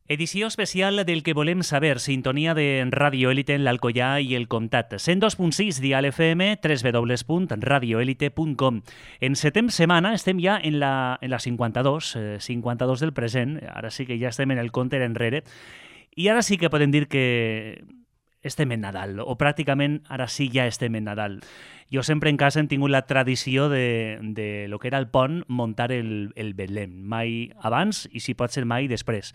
Edició especial del que volem saber, sintonia de Radio Élite en l'Alcoià i el Comtat. 102.6 dial FM, www.radioelite.com. En setem setmana estem ja en la 52 del present, ara sí que ja estem en el compte enrere, i ara sí que podem dir que estem en Nadal, o pràcticament ara sí ja estem en Nadal. Jo sempre en casa hem tingut la tradició de lo que era el pont muntar el Betlem, mai abans i si pot ser mai després.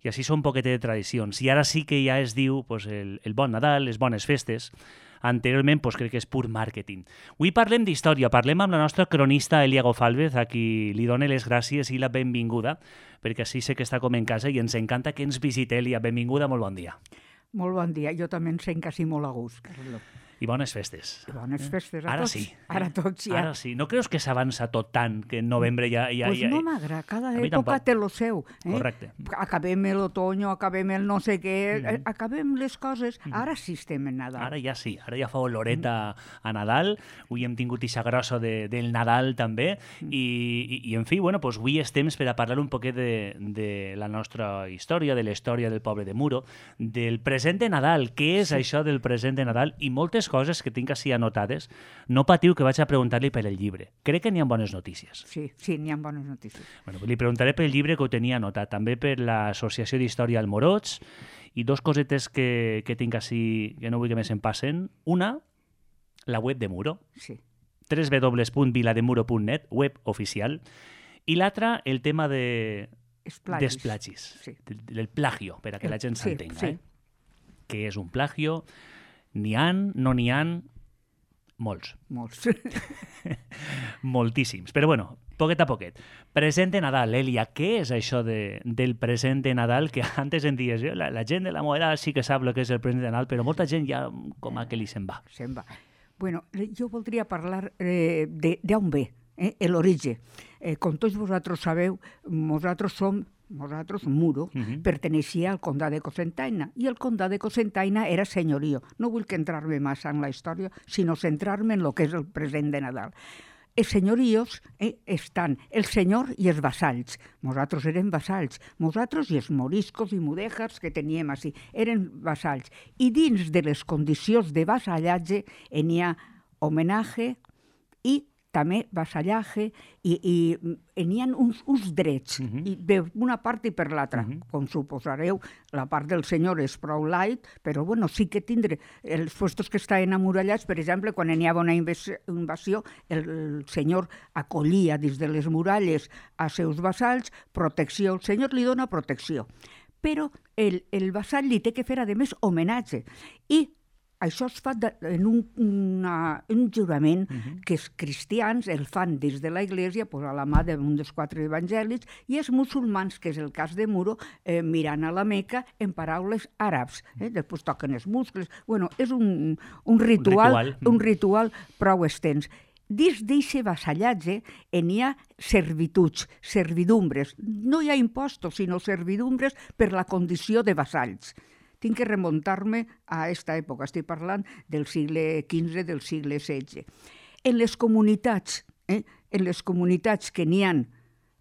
I així són un poquet de tradicions. I ara sí que ja es diu pues, el bon Nadal, les bones festes. Anteriorment pues, crec que és pur màrqueting. Avui parlem d'història, parlem amb la nostra cronista Elia Gofalvez, a qui li dono les gràcies i la benvinguda, perquè així sé que està com en casa i ens encanta que ens visite, Elia. Benvinguda, molt bon dia. Molt bon dia. Jo també em sent quasi molt a gust, Carlo. I bones festes. I bones festes a ara tots. Sí. Ara tots ja. Ara sí. No creus que s'avança tot tant, que en novembre ja... Pues no m'agrada. Cada època té lo seu. Correcte. Acabem l'otoño, acabem el no sé què, acabem les coses. Ara sí estem en Nadal. Ara ja sí. Ara ja fa oloreta a Nadal. Avui hem tingut ixa grossa del Nadal també. I en fi, bueno, pues avui és temps per a parlar un poquet de la nostra història, de la història del poble de Muro, del present de Nadal. Què és això del present de Nadal? I moltes coses que tinc així anotades. No patiu que vaig a preguntar-li per el llibre. Crec que n'hi ha bones notícies. Sí, n'hi ha bones notícies. Bueno, li preguntaré pel llibre que ho tenia anotat, també per l'Associació d'Història al Moroig, i dos cosetes que tinc així que no vull que més em passen. Una, la web de Muro. Sí. www.vilademuro.net, web oficial. I l'altra, el tema dels plagis. Sí. Del plagio, per a que la gent s'entenga. Sí. Què és un plagio? N'hi ha, no n'hi ha, molts. Moltíssims. Però bueno, poquet a poquet. Present de Nadal, Elia, què és això del present de Nadal? Que antes en dies, la gent de la meva edat sí que sap el que és el present de Nadal, però molta gent ja com a que li se'n va. Se'n va. Bueno, jo voldria parlar d'on ve, l'origen. Com tots vosaltres sabeu, nosaltres, Muro, perteneixia al Condat de Cocentaina, i el Condat de Cocentaina era senyorio. No vull que entrar-me massa en la història, sinó centrar-me en el que és el present de Nadal. Els senyorios estan el senyor i els vassalls. Nosaltres érem vassalls. Nosaltres i els moriscos i mudèjars que teníem així eren vassalls. I dins de les condicions de vassallatge n'hi ha homenatge i també vassallatge i n'hi ha uns drets d'una part i per l'altra. Com suposareu, la part del senyor és prou light, però bueno, sí que tindre els puestos que estan amurallats, per exemple, quan n'hi havia una invasió, el senyor acollia dins de les muralles a seus vassalls, protecció, el senyor li dona protecció. Però el vassall li té que fer, a més, homenatge. I això es fa en un jurament que els cristians el fan des de la Iglesia a la mà d'un dels 4 evangelis, i els musulmans, que és el cas de Muro, mirant a la Meca en paraules àrabs. Després toquen els muscles. Bueno, és un ritual prou extens. Dins d'aquest vassallatge n'hi ha servituds, servidumbres. No hi ha impostos, sinó servidumbres per la condició de vassalls. Tinc que remuntar-me a aquesta època. Estic parlant del segle XV, del segle XVI. En les comunitats que n'hi ha,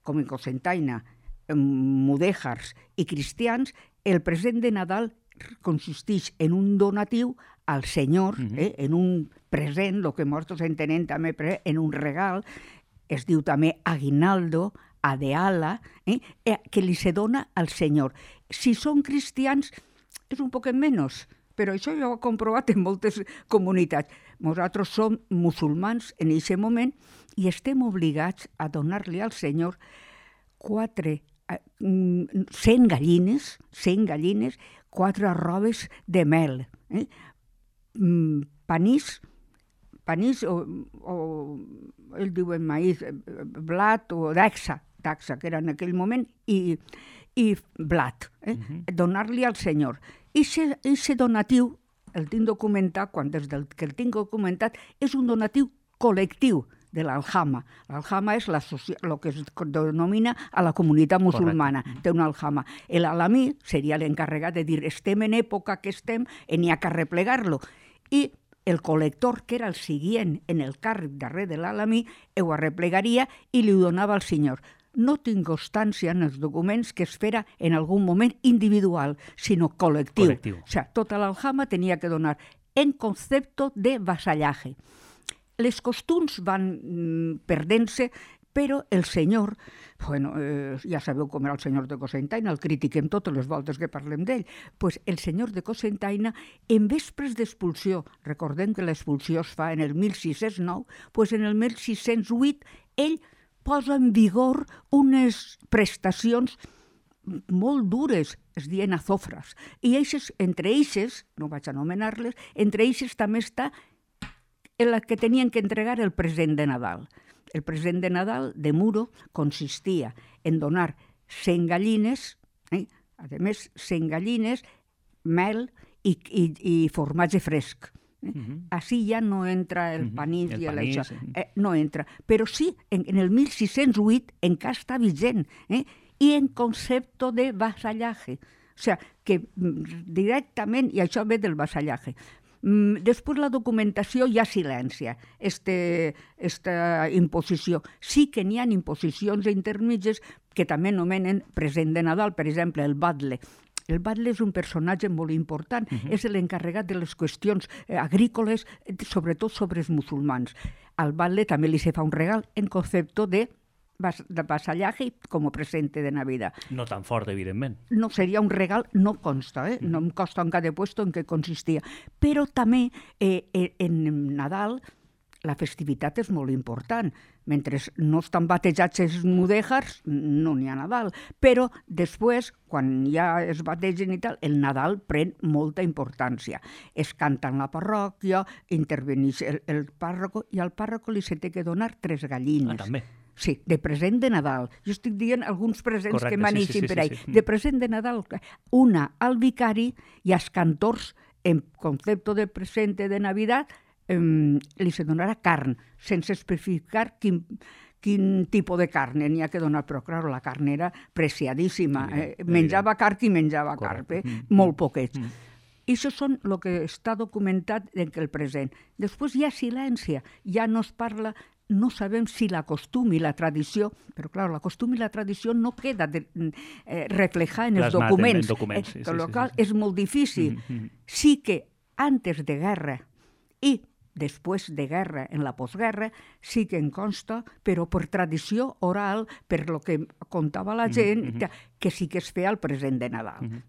com en Cocentaina, mudèjars i cristians, el present de Nadal consisteix en un donatiu al senyor, en un present, el que nosaltres entenem també en un regal, es diu també aguinaldo, adeala, que li se dona al senyor. Si són cristians, és un poquet menys, però això jo ho he comprovat en moltes comunitats. Nosaltres som musulmans en aquest moment i estem obligats a donar-li al senyor 100 gallines, 4 robes de mel, panís o ells diuen maïs, blat o daxa, que era en aquell moment, i blat, donar-li al senyor. I aquest donatiu, el tinc documentat, des que el tinc documentat, és un donatiu col·lectiu de l'Aljama. L'Aljama és el que es denomina a la comunitat musulmana. Té una Aljama. L'alamí seria l'encarregat de dir estem en època que estem i n'hi ha que arreplegar-lo. I el col·lector, que era el seient en el càrrec darrere de l'alamí, ho arreplegaria i li donava al senyor. no tinc constància en els documents que es fera en algun moment individual, sinó col·lectiu. O sigui, tota l'aljama tenia que donar en concepto de vasallaje. Les costums van perdent-se, però el senyor, bueno, ja sabeu com era el senyor de Cocentaina, el critiquem totes les voltes que parlem d'ell, pues el senyor de Cocentaina, en vespres d'expulsió, recordem que l'expulsió es fa en el 1609, pues en el 1608 ell posa en vigor unes prestacions molt dures, es diuen azofres, i entre eixes, no vaig anomenar-les, entre eixes també està en la que tenien que entregar el present de Nadal. El present de Nadal de Muro consistia en donar 100 gallines, a més 100 gallines, mel i formatge fresc. Així ja no entra el panís i això. No entra. Però sí, en el 1608 encara està vigent, i en concepte de vasallaje. O sigui, que directament, i això ve del vasallaje. Després la documentació hi ha silència, esta imposició. Sí que n'hi ha imposicions intermitges que també nomenen present de Nadal, per exemple, el batle. El batle és un personatge molt important, és l'encarregat de les qüestions agrícoles, sobretot sobre els musulmans. Al batle també li se fa un regal en concepte de vasallaje com a presente de Navidad. No tan fort, evidentment. No, seria un regal, no consta, no em consta en cada puesto en què consistia. Però també en Nadal la festivitat és molt important. Mentre no estan batejats els mudèjars, no n'hi ha Nadal. Però després, quan ja es bategen i tal, el Nadal pren molta importància. Es canta en la parròquia, interveneix el pàrroco, i al pàrroco li se té que donar 3 gallines. Ah, també. Sí, de present de Nadal. Jo estic dient alguns presents que m'aneixin per ahí. De present de Nadal, una al vicari i als cantors, en concepte de presente de Navidad, li se donarà carn, sense especificar quin tipus de carn n'hi ha que donar, però clar, la carn era preciadíssima. Menjava carn qui menjava carn, molt poquets. I això són el que està documentat en el present. Després hi ha silència, ja no es parla. No sabem si la costum i la tradició, però clar, la costum i la tradició no queda reflejada en els documents. Lo qual és molt difícil. Sí que antes de guerra i després de guerra, en la postguerra, sí que en consta, però per tradició oral, per lo que contava la gent, que sí que es feia el present de Nadal.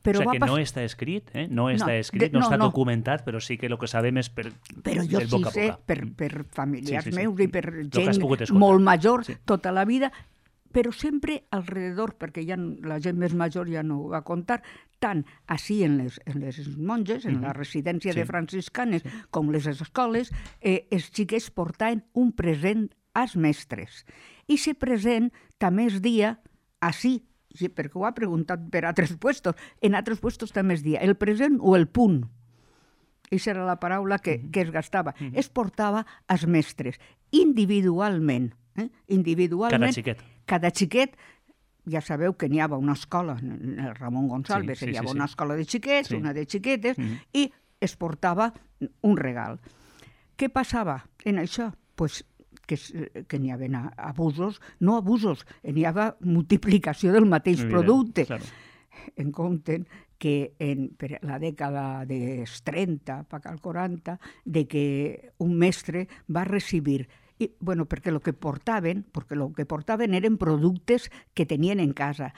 Però o sigui que no està escrit, no està documentat, però sí que el que sabem és per Però jo sí sé, per familiars meus i per gent molt major tota la vida, però sempre alrededor, perquè ja la gent més major ja no ho va contar, tant així en les monges, en la residència de franciscanes, com les escoles, els xiquets portaven un present als mestres. I aquest present també es dia així, perquè ho ha preguntat per altres puestos, en altres puestos també es dia el present o el punt. Aquesta era la paraula que es gastava. Es portava als mestres, individualment. Individualment. Cada xiquet, ja sabeu que n'hi havia una escola, el Ramon Gonçalves, hi havia una escola de xiquets, una de xiquetes, i es portava un regal. Què passava en això? Pues que n'hi havia abusos, no abusos, n'hi havia multiplicació del mateix producte. En compte que per la dècada dels 30, al 40, de que un mestre va recibir perquè el que portaven eren productes que tenien en casa.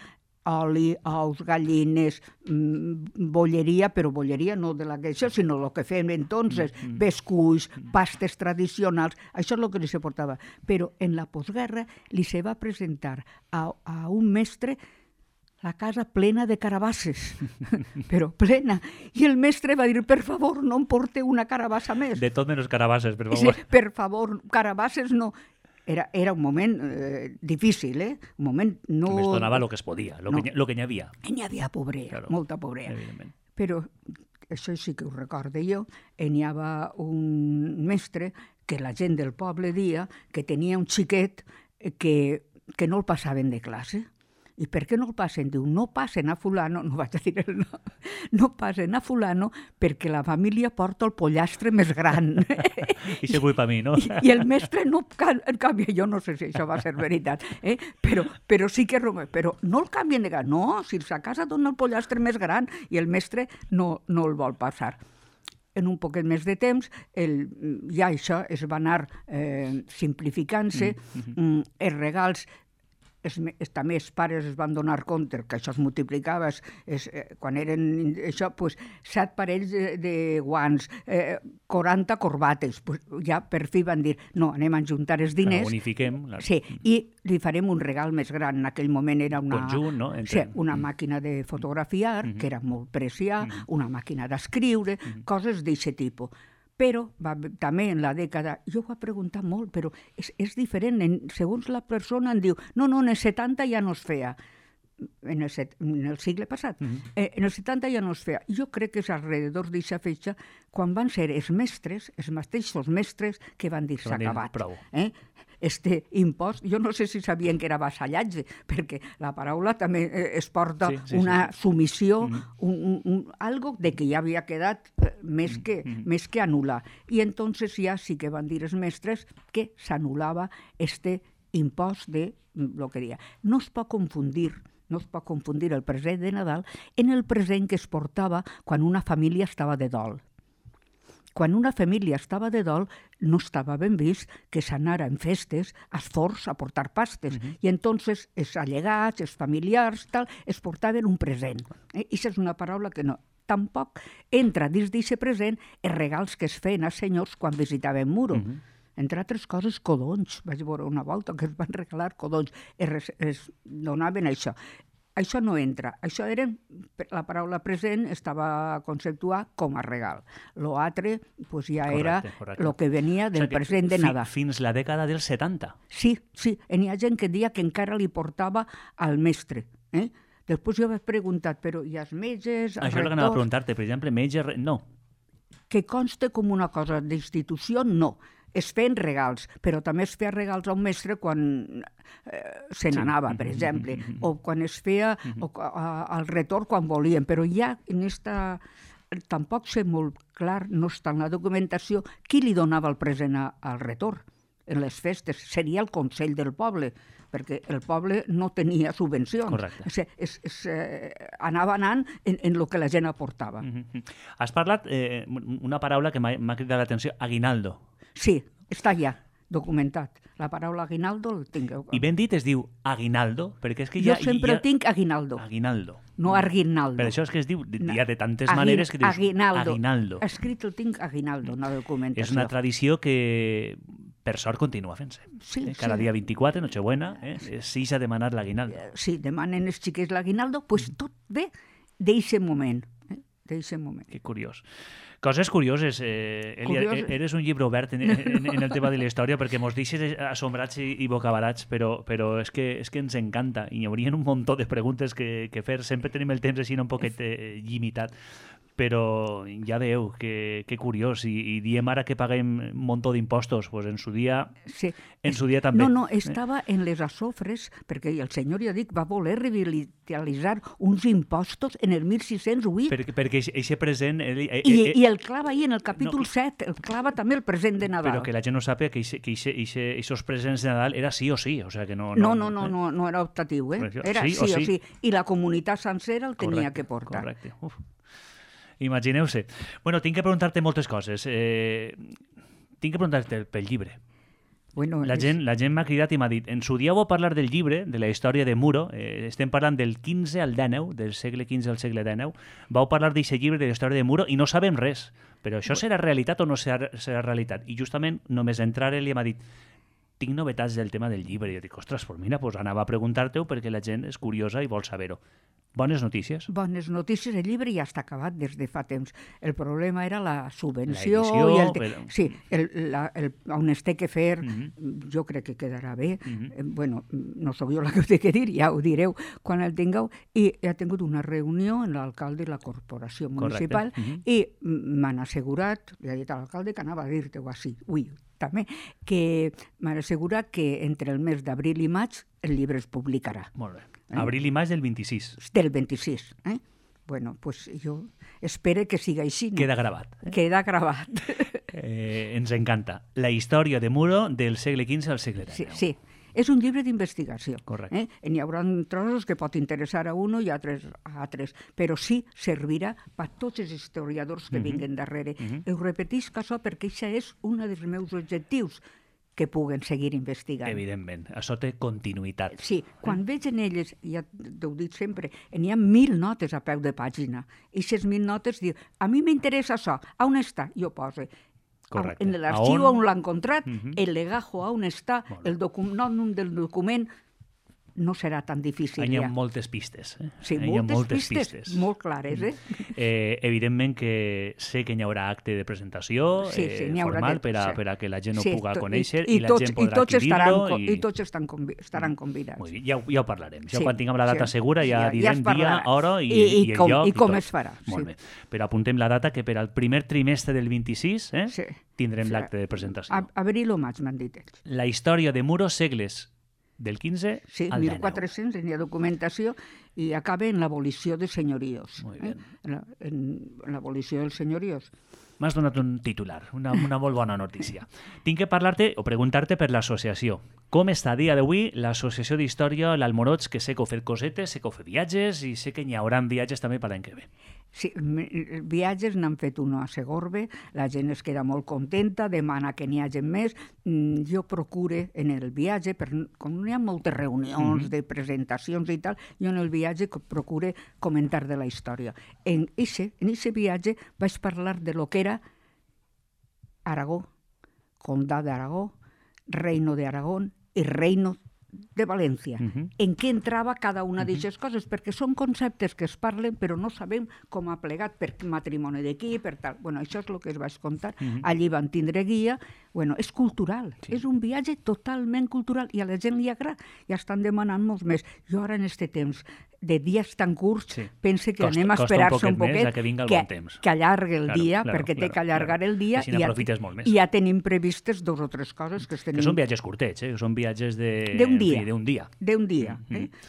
Oli, ous, gallines, bolleria, però bolleria no de la que això, sinó el que fèiem entonces, bescuits, pastes tradicionals, això és el que li se portava. Però en la postguerra li se va presentar a un mestre la casa plena de carabasses, però plena. I el mestre va dir, per favor, no em porteu una carabassa més. De tot menys carabasses, per favor. Sí, per favor, carabasses no. Era un moment difícil, Un moment no... Només donava el que es podia, el que n'hi havia. N'hi havia pobrea, molta pobrea. Però, això sí que ho recorde jo, n'hi havia un mestre que la gent del poble dia que tenia un xiquet que no el passaven de classe. I per què no el passen? Diu, no passen a fulano, no vaig a dir el nom, no passen a fulano perquè la família porta el pollastre més gran. I se culpa a mi, no? I el mestre no canvia, jo no sé si això va ser veritat, però sí que... Però no el canvien de gas, no, si a casa dona el pollastre més gran i el mestre no el vol passar. En un poquet més de temps, ja això es va anar simplificant-se, els regals... també els pares es van donar compte que això es multiplicava, quan eren això, 7 parells de guants, 40 corbates, ja per fi van dir, no, anem a juntar els diners. Unifiquem. Sí, i li farem un regal més gran. En aquell moment era una... Conjunt, no? Sí, una màquina de fotografiar, que era molt preciada, una màquina d'escriure, coses d'aquest tipus. Però també en la dècada, jo ho he preguntat molt, però és diferent. Segons la persona em diu, no, en el 70 ja no es feia. En el segle passat. En el 70 ja no es feia. Jo crec que és alrededor d'aquesta fetge quan van ser els mestres, els mateixos mestres, que van dir s'ha acabat. Este impost, jo no sé si sabien que era vassallatge, perquè la paraula també es porta una submissió, algo de que ja havia quedat més que anul·lar. I entonces ja sí que van dir els mestres que s'anul·lava este impost de lo que deia. No es pot confundir el present de Nadal en el present que es portava quan una família estava de dol. Quan una família estava de dol, no estava ben vist que s'anara en festes als forns a portar pastes. I entonces els allegats, els familiars, es portaven un present. I això és una paraula que no. Tampoc entra dins d'aquest present els regals que es feien als senyors quan visitaven Muro. Entre altres coses, codonys. Vaig veure una volta que es van regalar codonys. Es donaven això. Això no entra. Això eren, la paraula present estava conceptuada com a regal. L'altre ja era el que venia del present de Nadal. Fins la dècada dels 70. Sí. N'hi ha gent que deia que encara li portava al mestre. Després jo vaig preguntar, però i els metges... Això és el que anava a preguntar-te. Per exemple, metges... No. Que conste com una cosa d'institució, no. Es feien regals, però també es feia regals a un mestre quan se n'anava, per exemple, o quan es feia al retorn quan volien, però ja en esta... Tampoc sé molt clar, no està en la documentació, qui li donava el present al retorn en les festes. Seria el Consell del Poble, perquè el poble no tenia subvencions. Correcte. Anava anant en el que la gent aportava. Has parlat una paraula que m'ha cridat l'atenció, aguinaldo. Sí, està ja documentat. La paraula aguinaldo el tinc. I ben dit es diu aguinaldo, perquè és que jo sempre tinc aguinaldo. Aguinaldo. No arguinaldo. Per això és que es diu, ja de tantes maneres que dius aguinaldo. Escrit el tinc aguinaldo, una documentació. És una tradició que per sort continua fent-se. Cada dia 24, Nochebuena, s'ix a demanar l'aguinaldo. Sí, demanen els xiquets l'aguinaldo, doncs tot ve d'eixe moment. Que curiós. Coses curioses. Elia, eres un llibre obert en el tema de la història perquè mos deixes assombrats i bocabarats, però és que ens encanta i hi haurien un munt de preguntes que fer. Sempre tenim el temps així un poquet limitat, però ja veieu que curiós. I diem ara que paguem un munt d'impostos, doncs en su dia també. No, estava en les Azofres, perquè el senyor, ja dic, va voler revitalitzar uns impostos en el 1608. Perquè eixe present... I el clava ahir en el capítol 7, el clava també el present de Nadal. Però que la gent no sàpiga que aquests presents de Nadal era sí o sí, o sea que no... No era optatiu, era sí o sí. I la comunitat sencera el tenia que portar. Correcte. Imagineu-se. Bueno, tinc que preguntar-te moltes coses. Tinc que preguntar-te pel llibre. Bueno, la gent m'ha cridat i m'ha dit, en su dia vau parlar del llibre, de la història de Muro, estem parlant del 15 al 19, del segle XV al segle XIX, vau parlar d'aquest llibre de la història de Muro i no sabem res, però això serà realitat o no serà realitat? I justament només entrar ell m'ha dit, tinc novetats del tema del llibre. I jo dic, ostres, pues mira, pues anava a preguntar-te-ho perquè la gent és curiosa i vol saber-ho. Bones notícies. Bones notícies. El llibre ja està acabat des de fa temps. El problema era la subvenció. Sí, on es té que fer, jo crec que quedarà bé. Bueno, no sóc jo la que ho té que dir, ja ho direu quan el tingueu. I he tingut una reunió amb l'alcalde i la corporació municipal i m'han assegurat, li ha dit a l'alcalde que anava a dir-te-ho així, també, que m'han assegurat que entre el mes d'abril i maig el llibre es publicarà. Molt bé. Abril i maig del 26. Del 26. Bueno, pues jo espero que siga així. Queda gravat. Queda gravat. Ens encanta. La història de Muro del segle XV al segle XIX. Sí. És un llibre d'investigació. Correcte. N'hi haurà trossos que pot interessar a un i altres a altres, però sí servirà per tots els historiadors que vinguen darrere. Ho repetisc això perquè això és un dels meus objectius, que puguen seguir investigant. Evidentment, això té continuïtat. Sí, quan veig en elles, ja t'ho dic sempre, n'hi ha 1000 notes a peu de pàgina, i aquestes 1000 notes diu, a mi m'interessa això, on està? Jo poso. Correcte. En l'arxiu on l'ha encontrat, el legajo on està, el nom del document, no serà tan difícil. Hi ha moltes pistes. Sí, moltes pistes, molt clares. Evidentment que sé que hi haurà acte de presentació formal per a que la gent ho pugui conèixer i la gent podrà adquirir-lo. I tots estaran convidats. Ja ho parlarem. Ja quan tinguem la data segura ja direm dia, hora i el lloc. I com es farà. Molt bé. Però apuntem la data que per al primer trimestre del 26 tindrem l'acte de presentació. Abril o maig, m'han dit ells. La història de Muro, segles del 15 al 19. 1400, n'hi ha documentació, i acaba en l'abolició de senyorios. Molt bé. En l'abolició dels senyorios. M'has donat un titular, una molt bona notícia. Tinc que parlar-te o preguntar-te per l'associació. Com està a dia d'avui l'Associació d'Història l'Almoroig, que sé que heu fet cosetes, sé que heu fet viatges i sé que n'hi haurà viatges també per l'any que ve. Sí, viatges n'han fet un a Segorbe, la gent es queda molt contenta, demana que n'hi hagi més. Jo procure en el viatge, com n'hi ha moltes reunions de presentacions i tal, jo en el viatge procure comentar de la història. En aquest viatge vaig parlar de lo que era Aragó, Condado d'Aragó, Reino de Aragón i Reino de València. En què entrava cada una d'aquestes coses? Perquè són conceptes que es parlen però no sabem com ha plegat, per matrimoni d'aquí, per tal. Bueno, això és el que es vaig contar. Allí van tindre guia. Bueno, és cultural. És un viatge totalment cultural i a la gent li agrada. Ja estan demanant molts més. Jo ara en aquest temps de dies tan curts, pense que anem a esperar-se un poquet que allargue el dia, perquè té que allargar el dia i ja tenim previstes 2 o 3 coses que tenim. Que són viatges curtets, són viatges d'un dia. D'un dia.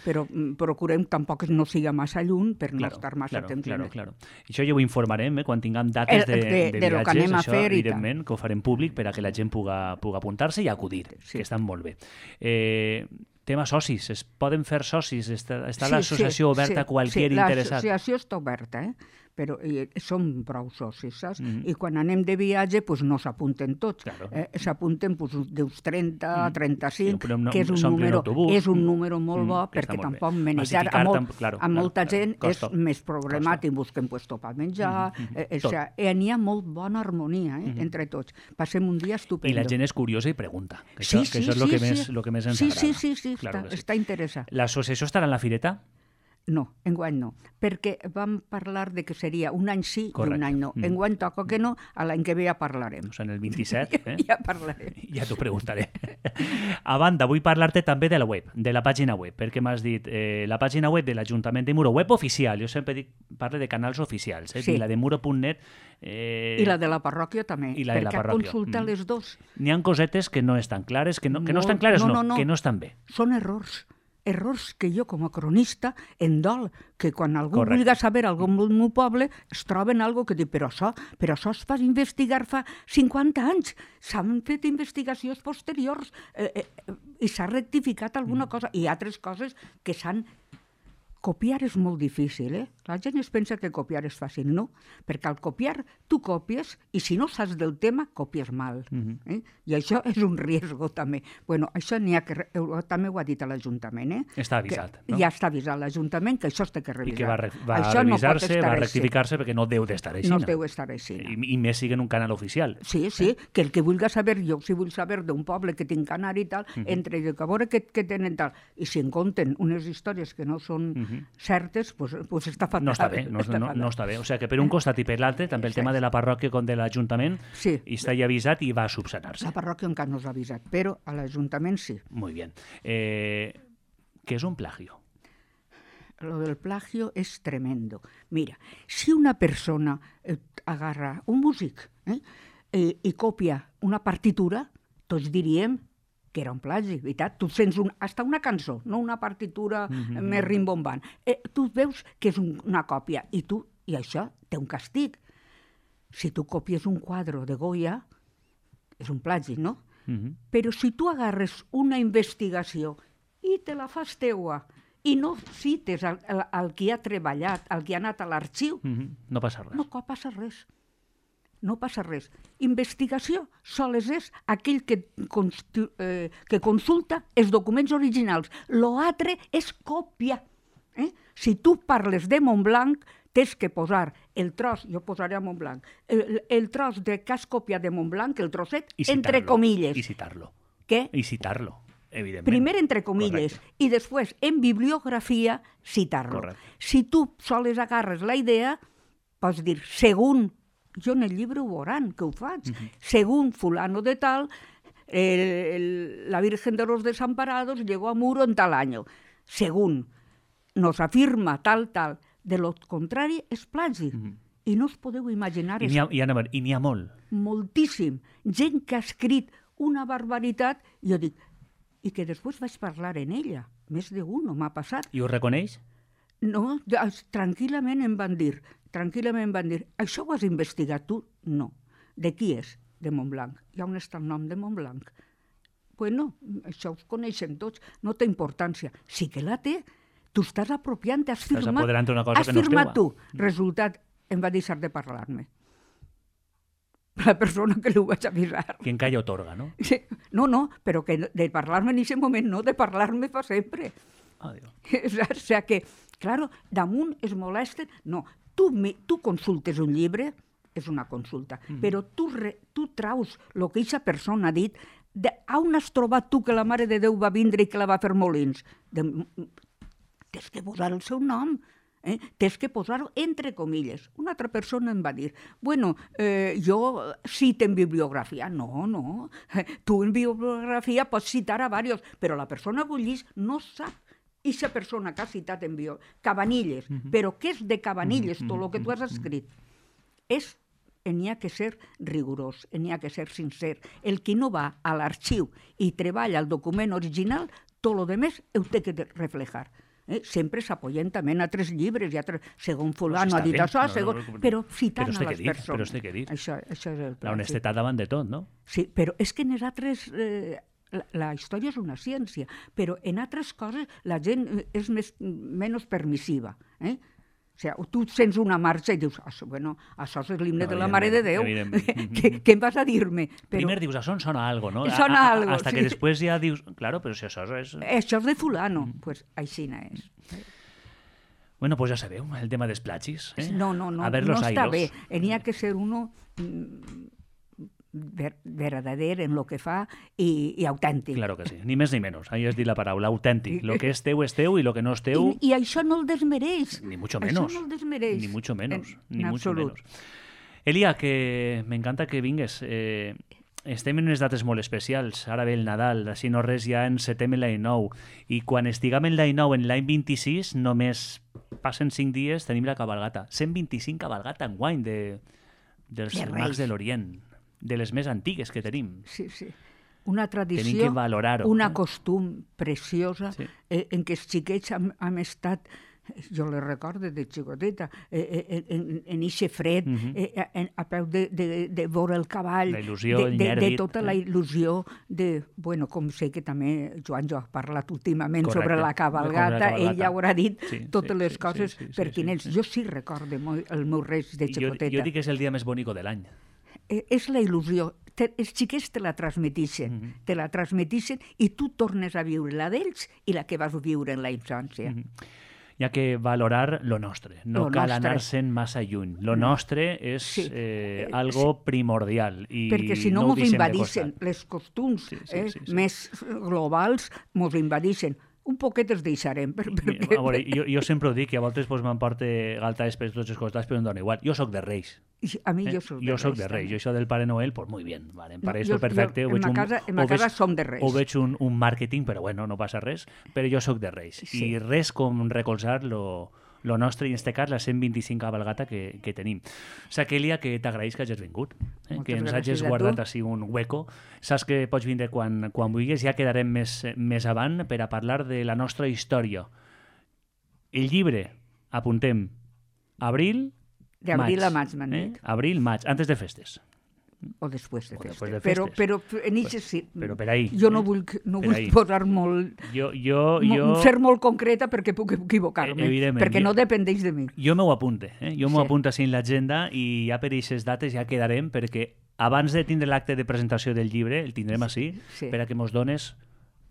Però procurem tampoc no siga massa lluny per no estar massa temps. Claro. Això ja ho informarem quan tinguem dates de viatges, això evidentment que ho farem públic per a que la gent pugui apuntar-se i acudir, que estan molt bé. Tema socis, es poden fer socis? Està l'associació oberta a qualsevol interessat? Sí, l'associació està oberta, però som prou socis, saps? I quan anem de viatge, doncs no s'apunten tots. S'apunten d'uns 30 a 35, que és un número molt bo, perquè tampoc manejar a molta gent és més problemàtic. Busquem llocs per menjar, n'hi ha molt bona harmonia entre tots. Passem un dia estupendo. I la gent és curiosa i pregunta, que això és el que més ens agrada. Sí, està interessat. L'associació estarà en la fireta? No, enguany no, perquè vam parlar de que seria un any sí i un any no. Enguany toca que no, l'any que ve ja parlarem. O sigui, en el 27, Ja parlarem. Ja t'ho preguntaré. A banda, vull parlar-te també de la web, de la pàgina web, perquè m'has dit la pàgina web de l'Ajuntament de Muro, web oficial, jo sempre parlo de canals oficials, i la de muro.net... I la de la parròquia també, perquè consulta les dos. N'hi ha cosetes que no estan clares, que no estan clares, que no estan bé. Són errors que jo com a cronista em dol, que quan algú vulgui saber alguna cosa del meu poble es troben alguna cosa que diu, però això es va investigar fa 50 anys, s'han fet investigacions posteriors i s'ha rectificat alguna cosa i altres coses que s'han... Copiar és molt difícil, La gent es pensa que copiar és fàcil. No, perquè al copiar tu copies i si no saps del tema, copies mal. I això és un riesgo també. Bueno, això n'hi ha que... També ho ha dit a l'Ajuntament, Està avisat, no? Ja està avisat l'Ajuntament que això es té que revisar. I que va revisar-se, va rectificar-se perquè no deu d'estar així. No deu estar així. I més siguen un canal oficial. Sí, que el que vulgui saber, jo si vull saber d'un poble que tinc anar i tal, entre que a veure què tenen tal, i si en compten unes històries que no són certes, doncs està fatal. No està bé, no està bé. O sigui que per un costat i per l'altre, també el tema de la parròquia com de l'Ajuntament, està ja avisat i va a subsanar-se. La parròquia encara no s'ha avisat, però a l'Ajuntament sí. Muy bien. ¿Qué es un plagio? Lo del plagio es tremendo. Mira, si una persona agarra un músic i copia una partitura, tots diríem que era un plagi, veritat? Tu sents hasta una cançó, no una partitura més rimbombant. Tu veus que és una còpia i això té un castig. Si tu copies un quadre de Goya, és un plagi, no? Però si tu agarres una investigació i te la fas teua i no cites el qui ha treballat, el qui ha anat a l'arxiu, no passa res. No passa res. No passa res. Investigació sols és aquell que consulta els documents originals. L'altre és còpia. Si tu parles de Montblanc, tens que posar el tros, jo posaré a Montblanc, el tros que has copiat de Montblanc, el trosset, entre comilles. I citar-lo. Què? I citar-lo, evidentment. Primer entre comilles i després en bibliografia citar-lo. Correcte. Si tu sols agarres la idea, pots dir, según, jo en el llibre ho veuran, que ho faig, según fulano de tal, la Virgen de los Desamparados llegó a Muro en tal año. Según nos afirma tal, de lo contrari és plagi. I no us podeu imaginar... I n'hi ha molt. Moltíssim. Gent que ha escrit una barbaritat, jo dic, i que després vaig parlar en ella. Més d'un m'ha passat. I ho reconeix? No, tranquil·lament em van dir, això ho has investigat tu? No. De qui és? De Montblanc. I on està el nom de Montblanc? Bueno, això ho coneixen tots, no té importància. Sí que la té. Tu estàs apropiant, has firmat tu. Resultat, em va deixar de parlar-me. La persona que li ho vaig avisar. Quien calla otorga, no? Sí. No, però que de parlar-me en aquest moment no, de parlar-me fa sempre. Adiós. O sigui que, claro, damunt es molesten. No, tu consultes un llibre, és una consulta, però tu traus el que aquesta persona ha dit, on has trobat tu que la Mare de Déu va vindre i que la va fer Molins? Tens que posar el seu nom, tens que posar-ho entre comilles. Una altra persona em va dir, bueno, jo cito en bibliografia. No, tu en bibliografia pots citar a diversos, però la persona que ho llegeix no sap. Aquesta persona que ha citat en Cabanilles, però què és de Cabanilles, tot el que tu has escrit? N'hi ha que ser rigorós, n'hi ha que ser sincer. El que no va a l'arxiu i treballa el document original, tot el demés ho té que reflejar. Sempre s'apoyen també en altres llibres, segons fulano ha dit això, però citant a les persones. Però té que dir. Això és el plàstic. L'honestedat davant de tot, no? Sí, però és que en les altres... La història és una ciència, però en altres coses la gent és menys permissiva. O sigui, tu sents una marxa i dius, bueno, això és l'himne de la Mare de Déu. Què em vas a dir-me? Primer dius, això em sona algo, no? Sona algo, hasta que després ja dius, claro, però si això és... Això és de fulano, doncs així no és. Bueno, pues ja sabeu, el tema dels plagis. No està bé. N'hi ha que ser uno verdader en lo que fa i autèntic. Claro que sí, ni més ni menys. Ahí has dit la paraula, autèntic. Lo que és teu i lo que no és teu... I això no el desmereix. Ni mucho menos. Això no el desmereix. Ni mucho menos. En absolut. Elia, que m'encanta que vingues. Estem en unes dates molt especials. Ara ve el Nadal, així no res ja encetem l'any nou. I quan estiguem en l'any nou, en l'any 26, només passen 5 dies, tenim la cabalgata. 125 cabalgata enguany dels mags de l'Orient. De les més antigues que tenim. Sí. Una tradició, tenim que valorar-ho. Una costum preciosa en què els xiquets hem estat, jo les recordo de xicoteta, en eixe fred, a peu de veure el cavall, la il·lusió, de tota la il·lusió, bueno, com sé que també Joan ha parlat últimament sobre la cabalgata, ell ja haurà dit totes les coses pertinents. Jo sí recordo el meu reis de xicoteta. Jo dic que és el dia més bonic de l'any. És la il·lusió. Els xiquets te la transmetixen, i tu tornes a viure la d'ells i la que vas viure en la infància. Hi ha que valorar lo nostre, no cal anar-se'n massa lluny. Lo nostre és algo primordial. Perquè si no mos invadixen, les costums més globals mos invadixen. Un poquet els deixarem. Jo sempre ho dic, i a voltes m'emporto galtades per tots els costats, però em dona igual. Jo soc de Reis. A mi jo soc de Reis. Jo això del Pare Noel, pues muy bien. Em pareix perfecte. En ma casa som de Reis. Ho veig un màrqueting, però bueno, no passa res. Però jo soc de Reis. I res com recolzar lo lo nostre, i en aquest cas la 125 cabalgata que tenim. Saquelia, que t'agraïs que hagis vingut, que ens hagis guardat així un hueco. Saps que pots vindre quan vulguis, ja quedarem més avant per a parlar de la nostra història. El llibre, apuntem, abril, D'abril a maig, m'han dit. Abril, maig, antes de festes. O després de festes. De festes. Però en això sí. Però per ahí. Jo no vull posar molt... Ser molt concreta perquè puc equivocar-me. Perquè no dependeix de mi. Jo m'ho apunte. Jo m'ho apunto així en l'agenda i ja per aquestes dates ja quedarem perquè abans de tindre l'acte de presentació del llibre, el tindrem així, per a que mos dones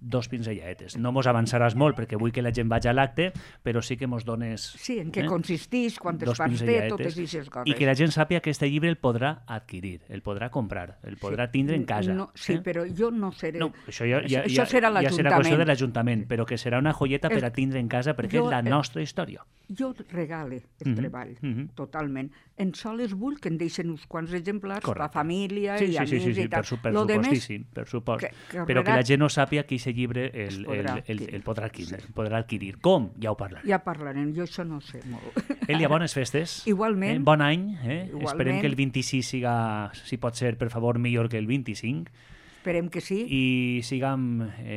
2 pinzelladetes. No mos avançaràs molt perquè vull que la gent vagi a l'acte, però sí que mos dones... Sí, en què consisteix, quantes parts té, totes aquestes coses. I que la gent sàpiga que aquest llibre el podrà adquirir, el podrà comprar, el podrà tindre en casa. Sí, però jo no seré... No, això ja serà l'Ajuntament. Ja serà qüestió de l'Ajuntament, però que serà una joieta per a tindre en casa perquè és la nostra història. Jo regale el treball, totalment. En soles vull que en deixen uns quants exemplars, la família i amics i tal. Sí, per supostíssim, per supost. Però que la gent no sàpiga que aquest llibre el podrà adquirir. Com? Ja ho parlarem. Ja parlarem, jo això no sé molt. Elia, bones festes. Igualment. Bon any. Esperem que el 26 siga, si pot ser, per favor, millor que el 25. Esperem que sí. I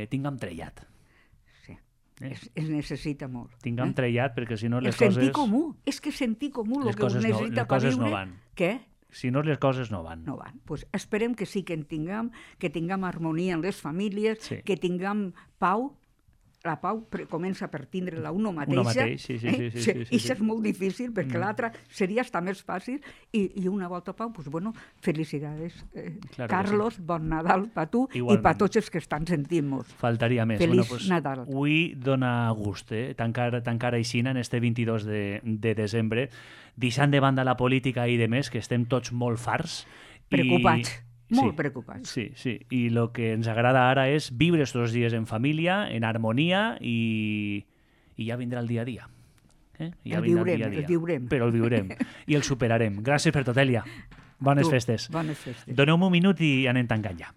tinguem trellat. Es necessita molt. Tinguem trellat perquè si no les coses... El sentir comú. És que sentir comú el que us necessita per viure... no van. Què? Si no, les coses no van. No van. Pues esperem que sí que en tinguem harmonia en les famílies, que tinguem pau. La pau comença per tindre-la uno mateixa. Sí. I això és molt difícil, perquè l'altra seria estar més fàcil. I una volta pau, doncs, bueno, felicidades. Carlos, bon Nadal per tu i per tots els que estan sentint-nos. Faltaria més. Feliç Nadal. Avui dona gust, tancar aixina en este 22 de desembre, deixant de banda la política i de més, que estem tots molt farts. Preocupats. Molt preocupats. Sí. I el que ens agrada ara és viure estos dies en família, en harmonia i ja vindrà el dia a dia. El viurem. Però el viurem i el superarem. Gràcies per tot, Elia. Bones festes. Bones festes. Doneu-me un minut i anem tancant ja.